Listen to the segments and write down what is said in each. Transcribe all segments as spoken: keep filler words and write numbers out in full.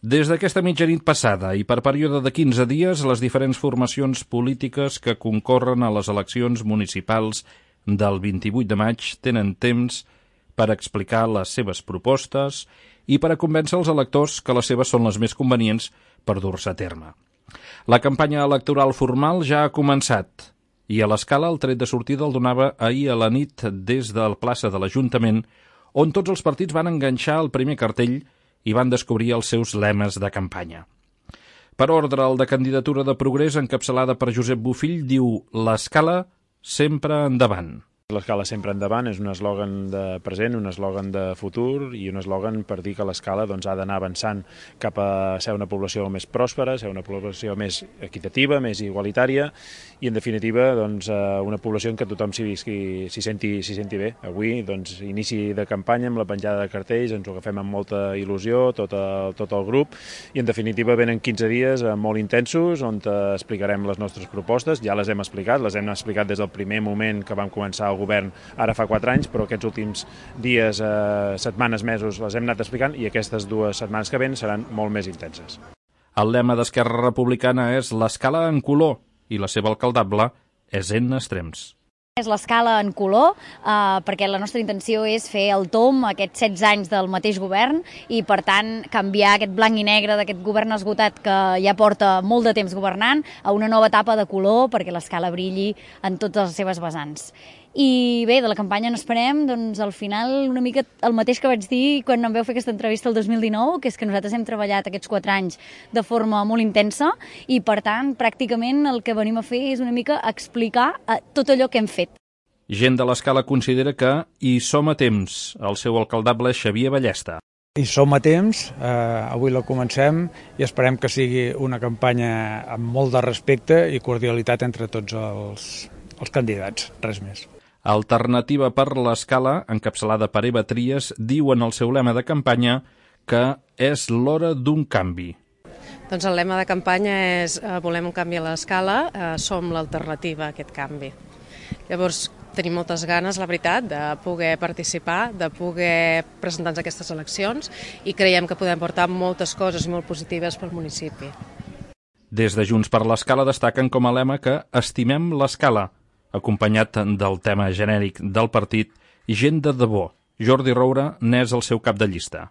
Des d'aquesta mitjanit passada i per període de quinze dies, les diferents formacions polítiques que concorren a les eleccions municipals del vint-i-vuit de maig tenen temps per explicar les seves propostes i per a convèncer els electors que les seves són les més convenients per dur-se a terme. La campanya electoral formal ja ha començat i a l'Escala el tret de sortida el donava ahir a la nit des de la plaça de l'Ajuntament, on tots els partits van enganxar el primer cartell i van descobrir els seus lemes de campanya. Per ordre, el de candidatura de Progrés, encapçalada per Josep Bofill, diu «L'Escala sempre endavant». L'Escala sempre endavant és un eslògan de present, un eslògan de futur i un eslògan per dir que l'Escala doncs, ha d'anar avançant cap a ser una població més pròspera, ser una població més equitativa, més igualitària i, en definitiva, doncs, una població en què tothom s'hi visqui, s'hi senti, s'hi senti bé. Avui, doncs, inici de campanya amb la penjada de cartells, ens ho agafem amb molta il·lusió, tot el, tot el grup, i, en definitiva, venen quinze dies molt intensos on explicarem les nostres propostes. Ja les hem explicat, les hem explicat des del primer moment que vam començar el govern ara fa quatre anys, però aquests últims dies, eh, setmanes, mesos les hem anat explicant i aquestes dues setmanes que ven seran molt més intenses. El lema d'Esquerra Republicana és l'Escala en color i la seva alcaldable és en extrems. És l'Escala en color, eh, perquè la nostra intenció és fer el tomb aquests setze anys del mateix govern i, per tant, canviar aquest blanc i negre d'aquest govern esgotat que ja porta molt de temps governant a una nova etapa de color perquè l'Escala brilli en totes les seves vessants. I bé, de la campanya n'esperem, doncs al final una mica el mateix que vaig dir quan em vau fer aquesta entrevista el dos mil dinou, que és que nosaltres hem treballat aquests quatre anys de forma molt intensa i, per tant, pràcticament el que venim a fer és una mica explicar tot allò que hem fet. Gent de l'Escala considera que hi som a temps. El seu alcaldable és Xavier Ballesta. Hi som a temps, eh, avui la comencem i esperem que sigui una campanya amb molt de respecte i cordialitat entre tots els, els candidats, res més. Alternativa per l'Escala, encapçalada per Eva Trias, diu en el seu lema de campanya que és l'hora d'un canvi. Doncs el lema de campanya és eh, volem un canvi a l'Escala, eh, som l'alternativa a aquest canvi. Llavors, tenim moltes ganes, la veritat, de poder participar, de poder presentar-nos a aquestes eleccions i creiem que podem portar moltes coses molt positives pel municipi. Des de Junts per l'Escala destaquen com a lema que estimem l'Escala, acompanyat del tema genèric del partit Gent de debò. Jordi Roura n'és el seu cap de llista.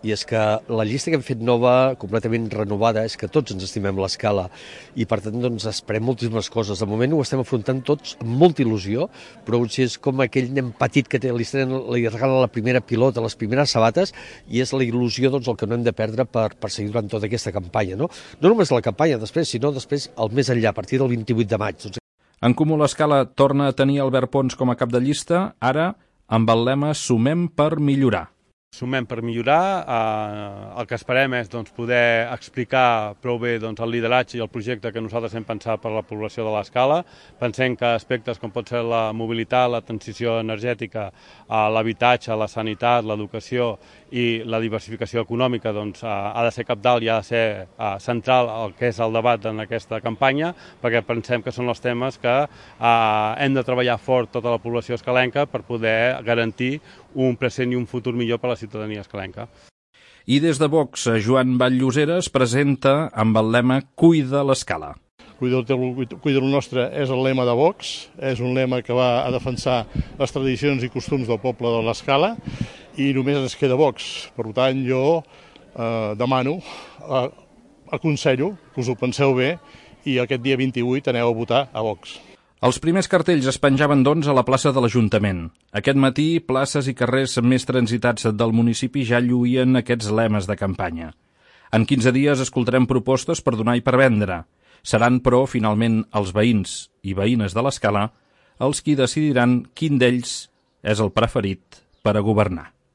I és que la llista que hem fet nova, completament renovada, és que tots ens estimem l'Escala i per tant doncs, esperem moltíssimes coses. De moment ho estem afrontant tots amb molta il·lusió, però potser és com aquell nen petit que té, li, li regala la primera pilota, les primeres sabates, i és la il·lusió doncs, el que no hem de perdre per, per seguir durant tota aquesta campanya. No, no només la campanya després, sinó després el més enllà, a partir del vint-i-vuit de maig. Doncs... En Comú l'Escala torna a tenir Albert Pons com a cap de llista, ara amb el lema Sumem per millorar. Sumem per millorar, eh, el que esperem és doncs, poder explicar prou bé doncs, el lideratge i el projecte que nosaltres hem pensat per a la població de l'Escala. Pensem que aspectes com pot ser la mobilitat, la transició energètica, eh, l'habitatge, la sanitat, l'educació i la diversificació econòmica doncs, eh, ha de ser cabdal i ha de ser eh, central el que és el debat en aquesta campanya, perquè pensem que són els temes que eh, hem de treballar fort tota la població escalenca per poder garantir un present i un futur millor per a la ciutadania escalenca. I des de Vox, Joan Vall-Llosera es presenta amb el lema Cuida l'Escala. Cuida el nostre és el lema de Vox, és un lema que va a defensar les tradicions i costums del poble de l'Escala i només ens queda Vox. Per tant, jo eh, demano, eh, aconsello que us ho penseu bé i aquest dia vint-i-vuit aneu a votar a Vox. Els primers cartells es penjaven, doncs, a la plaça de l'Ajuntament. Aquest matí, places i carrers més transitats del municipi ja lluïen aquests lemes de campanya. En quinze dies escoltarem propostes per donar i per vendre. Seran, però, finalment, els veïns i veïnes de l'Escala els qui decidiran quin d'ells és el preferit per a governar.